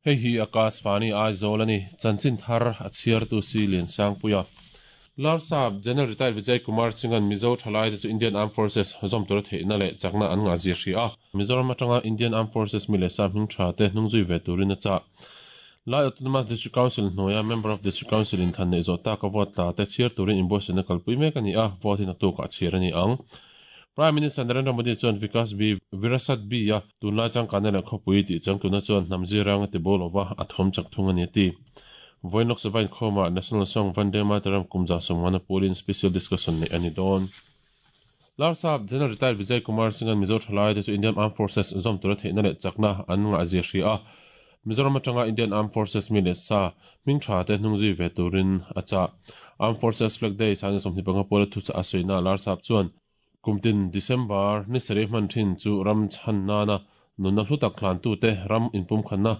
Hei hi Akashvani Aizawl a ni, chanchin thar a chhiartu si Liansangpuia. Larsap General Retired Vijay Kumar Singh-a'n Mizo thalaite chu Indian Armed Forces zawm tura theihna leh chakna an ngahzia hria a. Mizoram atanga Indian Armed Forces mi leh sa hming tha te hnungzui ve turin a chah. Lai Autonomous District Council hnuaia Member of District Council inthan neih zawh taka vote tla te chhiar turin inbuatsaihna kalpui mek a ni a, vote hi naktukah chhiar a ni ang. Prime Minister Narendra Modi chuan Vikas B Virasat B a tunlai changkanna leh khawpui tih changtuna chuan hnam zirang a ti bo lova, a thawm chak thung a ni a ti. Vawiin Lok Sabha inkhawmah National Song Vande Mataram kum 150 pualin Special Discussion neih a ni dawn. Larsap General Retired Vijay Kumar Singh-a'n Mizo thalaite chu Indian Armed Forces zawm tura theihna leh chakna an ngahzia hria a, Mizoram atanga Indian Armed Forces mi leh sa hming tha te hnung zui ve turin a chah. Armed Forces Flag Day 25 puala thuchah a sawina Larsap chuan, Kumtin December ni sarih hman thin chu ram chhan nana nunna hlu tak hlantute ram inpumkhanna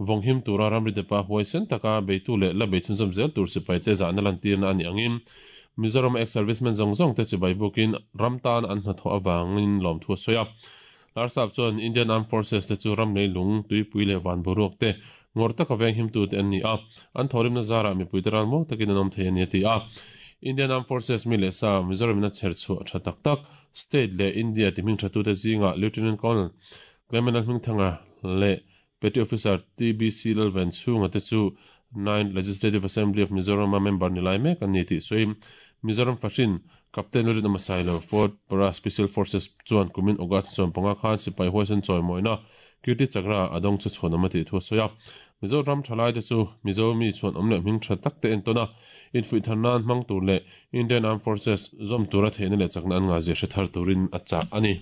vawnghim tura ramri depa huaisen taka beitu leh la bei chhunzawm zel tur sipaite zahna lantirna a nih angin Mizoram ex-servicemen zawng zawngte chibai bukin ram tan an hnathawh avangin lawmthu a sawi a. Larsap chuan Indian Armed Forces te chu ram leilung, tuipui leh van boruak te ngawrh taka venghimtute an ni a, an thawhrimna zarah mipuite ralmuang takin an awm thei a ni a ti a. Indian Armed Forces mi leh sa Mizoram-in a chher chhuah tha tak tak state leh India ti hming thatute zingah Lieutenant Colonel Clement Lalhmingthanga leh Petty Officer TBC Lalvenchhunga te chu Ninth Legislative Assembly of Mizoram-a member ni lai mek an ni tih sawiin Mizoram fahrin Captain Lalrinawma Sailo, Fort Para Special Forces chuan kumin August 15 khan sipai huaisen chawimawina Kirti Chakra a dawng chu chhuanawm a tih thu a sawi a. Mizoram thalaite chu Mizo mi chhuanawm leh hming tha tak te entawn a, infuih thar nan hmang tur leh Indian Armed Forces zawm tura theihna leh chakna an ngahzia hre thar turin a chah a ni.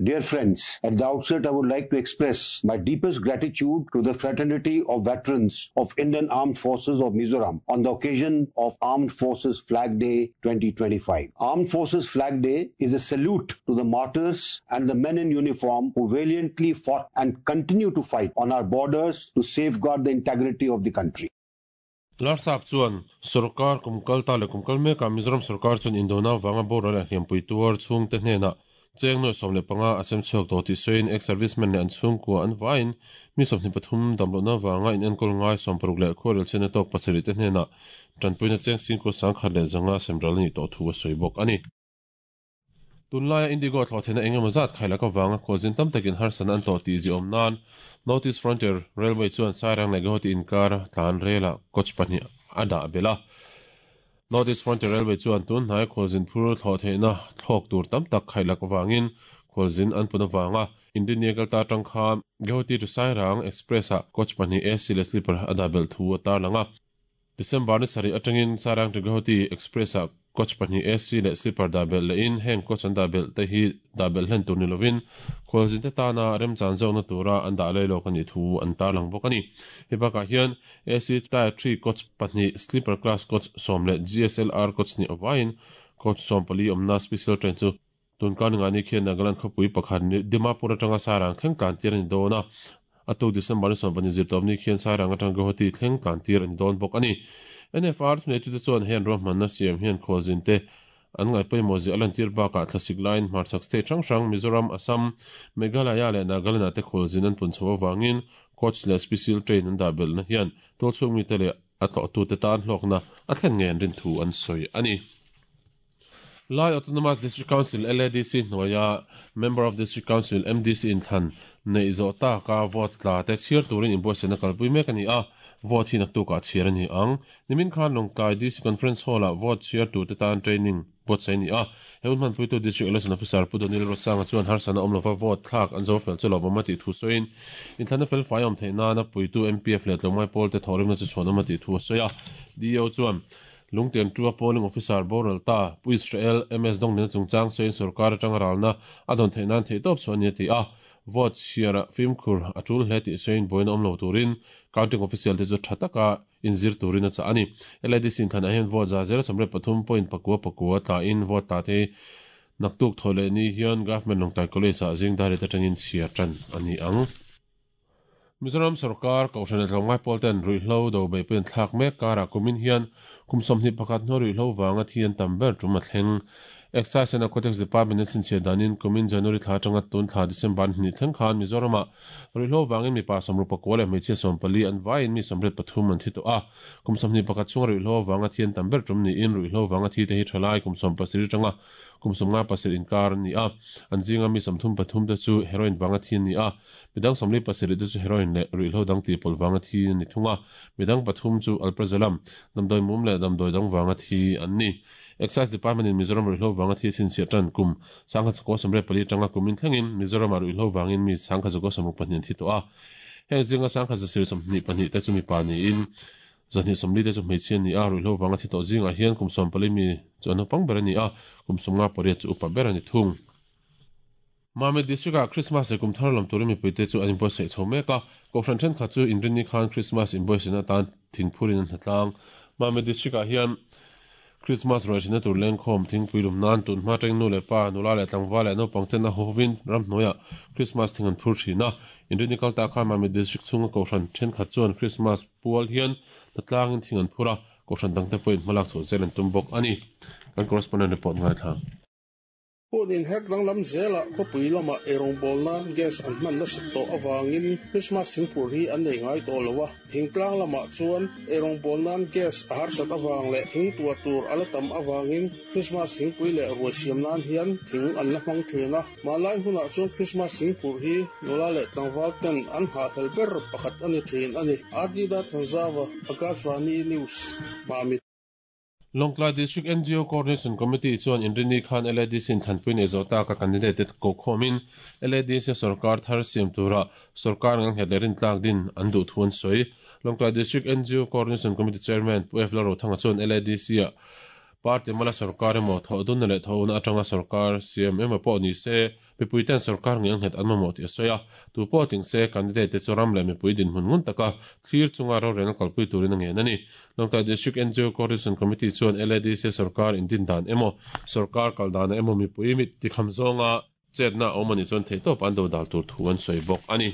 Dear friends, at the outset I would like to express my deepest gratitude to the fraternity of veterans of Indian Armed Forces of Mizoram on the occasion of Armed Forces Flag Day 2025. Armed Forces Flag Day is a salute to the martyrs and the men in uniform who valiantly fought and continue to fight on our borders to safeguard the integrity of the country. Larsap chuan sorkar kum kal ta leh kum kal mekah Mizoram sorkar chuan indona avanga boral leh hliampui tuar chhungte hnenah cheng nuai 15 a chem chhuak tawh tih sawiin ex-servicemen leh an chhungkua an vaiin mi 23 damlohna avanga inenkawl ngai 60 leh khuarel chhiatna tawk pasarih te hnenah tanpuina cheng singkua 1005 semral a nih tawh thu a sawi bawk a ni. Tunlaia Indigo thlawh theihna eng emaw zat khailak avanga khualzin tam takin harsatna an tawh tih ziaawm nan North East Frontier Railway chuan Sairang leh Guwahati inkar tlan relah coach pahnih a dah belh a. North East Frontier Railway chuan tun hnai khualzin phur thlawh theihna thlawk tur tam tak khailak avangin khualzin an pun avanga Indian Kalta atang khan Guwahati to Sairang Express-ah coach pahnih AC leh sleeper a dah belh thu a tarlang a. December ni sarih atangin Sairang to Guwahati Express-ah coach pahnih AC leh sleeper dah belh lehin heng coach an dah belh te hi dah belh hlen tur ni lovin khualzinte tana remchan zawkna tura an dah lei lawk a nih thu an tarlang bawk a ni. Hei bakah hian AC Tier three coach pahnih, sleeper class coach sawm leh GSLR coach hnih avaiin coach 14 awmna special train chu Tunkar ni ngani khian Nagaland khawpui pakhat Dimapur atanga Sairang thleng tlan tir a ni dawn a, a tuk December ni 12 zirtawp ni khian Sairang atanga Guwahati thleng tlan tir a ni dawn bawk a ni. NFR thuneitute chuan heng ruahmanna siam hian khualzinte an ngaihpawimawh zia a lantir bakah thlasik laiin hmarchhak state hrang hrang Mizoram, Assam, Meghalaya leh Nagaland ah te khualzin an pun chho avangin coach leh special train an dah belhna hian tualchhung mite leh a tlawhtute tan hlawkna a thlen ngei an rin thu an sawi a ni. Lai Autonomous District Council, LADC, hnuaia Member of District Council, MDC, inthlan neih zawh taka vote tla te chhiar turin inbuatsaihna kalpui mek a ni a, vote hi naktukah chhiar a ni ang. Nimin khan Lawngtlai DC Conference Hall-ah vote chhiar turte tan training buatsaih a ni a, he hun hmanpuitu District Election Officer Pu Donil Ruatsanga chuan harsatna awm lova vote thlak an zo fel chu lawmawm a tih thu sawiin, inthlanna fel fai awm theih nana puitu MPF leh tlawmngai pawlte thawhrimna chu chhuanawm a tih thu a sawi a. DEO chuan Lungtian Tua polling officer boral ta Pu Israel MS Dawngdena chungchang sawiin sorkar atanga ralna a dawn theih nan theihtawp chhuah a ni a ti a, vote chhiara fimkhur a tul hle tih sawiin buaina awm lo turin counting official te chu tha taka inzir turin a chah a ni. LADC inthlanah hian vote za zero sawmriat pathum point pakua pakua tlain vote tla te naktuk thawh leh ni hian Government Lawngtlai College ah zing dar riat atangin chhiar tan a ni ang. Mizoram sorkar Kohhran leh Tlawmngai pawl ten ruihhlo do beihpui an thlak mek karah kumin hian kum 21 hnuai ruihhlo vanga thi an tam ber tum a thleng. Excise and Narcotics Department in chhinchhiah danin kumin January thla atanga tun thla December ni hnih thleng khan Mizoramah ruihhlo vangin mipa 64 leh hmeichhia 14 an vaiin mi 83 an thi tawh a. Kum 21 chhunga ruihhlo avanga thi an tam ber tum niin ruihhlo vanga thi te hi thalai kum 17 atanga kum 57 inkar an ni a. An zinga mi 33 te chu heroin vanga thi an ni a. Midang 47 te chu heroin leh ruihhlo dang tihpawlh vanga thi an ni thung a. Midang pathum chu alprazolam, damdawi mum leh damdawi dang vanga thi an ni. Excise Department in Mizoram ruihhlo vanga thi chhinchhiah tan kum 1984 atanga kum in thlengin Mizoramah ruihhlo vangin mi 1964 an thi tawh a. Heng zinga 1922 te chu mipa niin 240 te chu hmeichhia an ni a, ruihhlo vanga thi tawh zingah hian kum 14 mi chu an naupang ber a ni a, kum 58 chu upa ber a ni thung. Mamit District-ah Christmas leh kum thar lam turin mipuite chu an inbuatsaih chho mek a, Kohhran thenkhat chu inrinni khan Christmas inbuatsaihna atan thingphurin an hnatlang. Mamit District-ah hian Christmas ruaihhrinna tur lengkhawm thingpui lum nan tun hma atangin nu leh pa, nula leh tlangval leh naupang ten a hovin ramhnuaiah Christmas thing an phur thin a. Inrinni kal ta khan Mamit District chhunga Kohhran thenkhat chuan Christmas pual hian hnatlangin thing an phur a, Kohhran dangte pawhin hmalak chhoh zel an tum bawk a ni. Kan correspondent report ngaithla. Hun inher danglam zelah khawpui lamah eirawngbawlna nan gas an hman nasat tawh avangin Krismas thingphur hi an nei ngai tawh lo a. Thingtlang lamah chuan eirawngbawlna nan gas a harsat avang leh thing tuah tur a la tam avangin Krismas thingpui leh ruai siam nan hian thing an la hmang thin a. Hmanlai hunah chuan Krismas thingphur hi nula leh tlangval ten an nghahhlel ber pakhat a ni thin a ni. RD Darthanzava, Akashvani News, Mamit. Lawngtlai District NGO Coordination Committee chuan Inrini khan LADC in thlanpui nei zawh taka candidate te kokhawmin LADC a sorkar thar siam tura sorkar ngang nghet leh rintlak din an duh thu an sawi. Lawngtlai District NGO Coordination Committee Chairman Pu F Lalrothanga chuan LADC a party mala sorkar emaw thawhdunna leh thawhna atanga sorkar siam emaw pawh ni se Mipuiten sorkar nge nghet an mamawh tih a sawi a, tu pawh tling se candidate te chu ram leh mipui dinhmun ngun taka thlir chunga rorelna kalpui turin a ngen a ni. Lawngtlai District NGO Coordination Committee chuan LADC sorkar indin dan emaw, sorkar kal danah emaw mipui mit tikham zawnga chetna a awm a nih chuan theihtawp an dodal tur thu an sawi bawk a ni.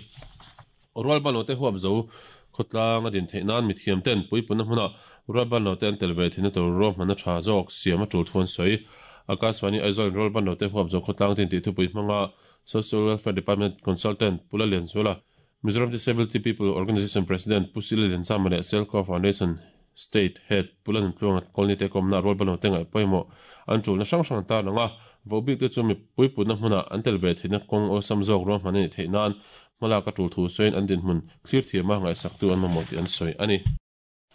Rualbanlote huap zo khawtlang a din theih nan mithiam ten puipunna hmuna rualbanlote an tel ve theihna tur ruahmanna tha zawk siam a tul thu an sawi. Akashvani Aizawl in Rualbanlote huap zo khawtlang din tih thupui hmanga Social Welfare Department Consultant Pu Lalianzuala, Mizoram Disability People Organisation President Pu Sila Lianzama leh Selco Foundation State Head Pu Lalnuntluanga Colony te kawmna Rualbanlote ngaih pawimawh an tulna hrang hrang an tarlang a, vohbik te chu mipui putna hmuna an tel ve theihna kawng awlsam zawk ruahman a nih theih nan Hmalak a tul thu sawiin an dinhmun thlir thiama ngaihsaktu an mamawh tih an sawi a ni.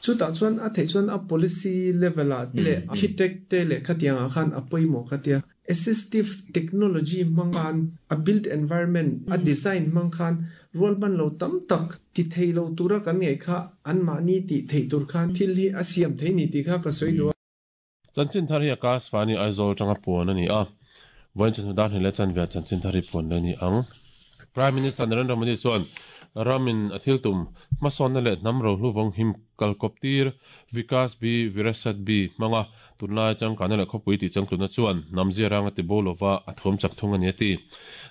Chutah chuan a theih chuan a policy level ah te leh architect te leh khatiang ah khan a pawimawh ka tia. Assistive technology hmang khan a built environment a design hmang khan rualban lo tam tak ti thei lo tura kan ngaih kha anmahni tih theih tur khan thil hi a siam thei ni tih kha ka sawi duh a. Chanchin thar hi Akashvani Aizawl atanga puan a ni a, vawiin chawhnu dar hnih leh chanve ah chanchin thar hi puan leh a ni ang. Prime Minister Narendra Modi chuan ramin a thil tum hmasawnna leh hnam rohlu vawng him kalkawp tir Vikas Bi Virasat Bi hmanga tunlai changkanna leh khawpui tih changtlunna chuan hnam zia ranga ti bo lova a thuam chak thung a ni a ti.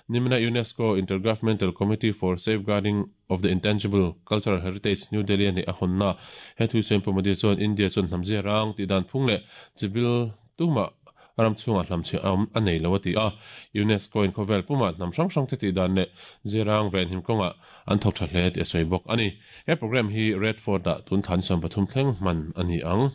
Nimina UNESCO Intergovernmental Committee for Safeguarding of the Intangible Cultural Heritage, New Delhi a neih a hawnna. He thu sawiin Pu Modi chuan India chuan hnam zia rang tih dan phung leh chibil tumah ram chhungah hlamchhiah a awm a nei lo a ti a. UNESCO in khawvel pumah hnam hrang hrang te tih dan leh zia rang venhim kawngah an thawk tha hle tih a sawi bawk a ni. He program hi Red Fort-ah tun thla ni 13 thleng hman a ni ang.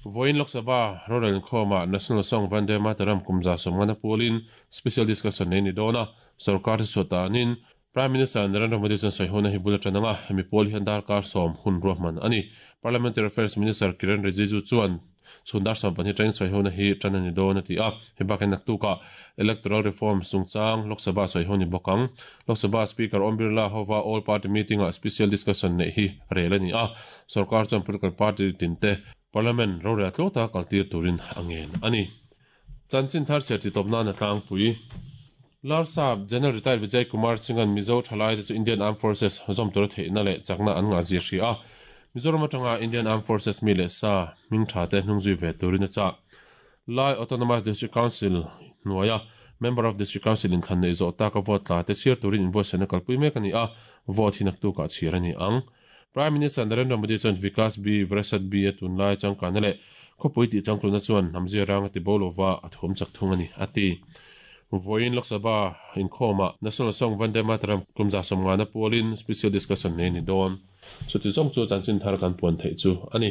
Vawiin Lok Sabha rorel inkhawmah National Song Vande Mataram kum 150 pualin Special Discussion nei a ni dawn a, sorkar thuchhuah tanin Prime Minister Narendra Modi chuan sawihona hi bul a tan ang a, hemi pawl hian darkar sawm hun ruahman a ni. Parliamentary Affairs Minister Kiren Rijiju chuan chhun dar 12 tangin sawihona hi tan a ni dawn a ti a, hei bakah naktukah Electoral Reforms chungchang Lok Sabha sawiho ni bawk ang. Lok Sabha Speaker Om Birla hova All Party Meeting-ah Special Discussion neih hi rel a ni a, sorkar chuan political party tinte Parliament rorel tluang taka kaltir turin a ngen a ni. Chanchin thar chhiar titawp nan a tlangpui. Larsap General Retired Vijay Kumar Singh-a'n Mizo thalaite chu Indian Armed Forces zawm tura theihna leh chakna an ngah zia hria a, Mizoram atanga Indian Armed Forces mi leh sa hming tha te hnung zui ve turin a chah. Lai Autonomous District Council hnuaia Member of District Council inthlan neih zawh taka vote tla te chhiar turin inbuatsaihna kalpui mek a ni a, vote hi naktukah chhiar a ni ang. Prime Minister Narendra Modi chuan Vikas Bi, Virasat Bi a tunlai changkanna leh Khawpui tih changtluna chuan hnam zia rang a ti bo lova, a thuam chak thung a ni, a ti. Vawiin Lok Sabha inkhawmah National Song Vande Mataram kum 150 pualin Special Discussion nei a ni dawn. Chuti zawng chu chanchin thar kan puan theih chu a ni.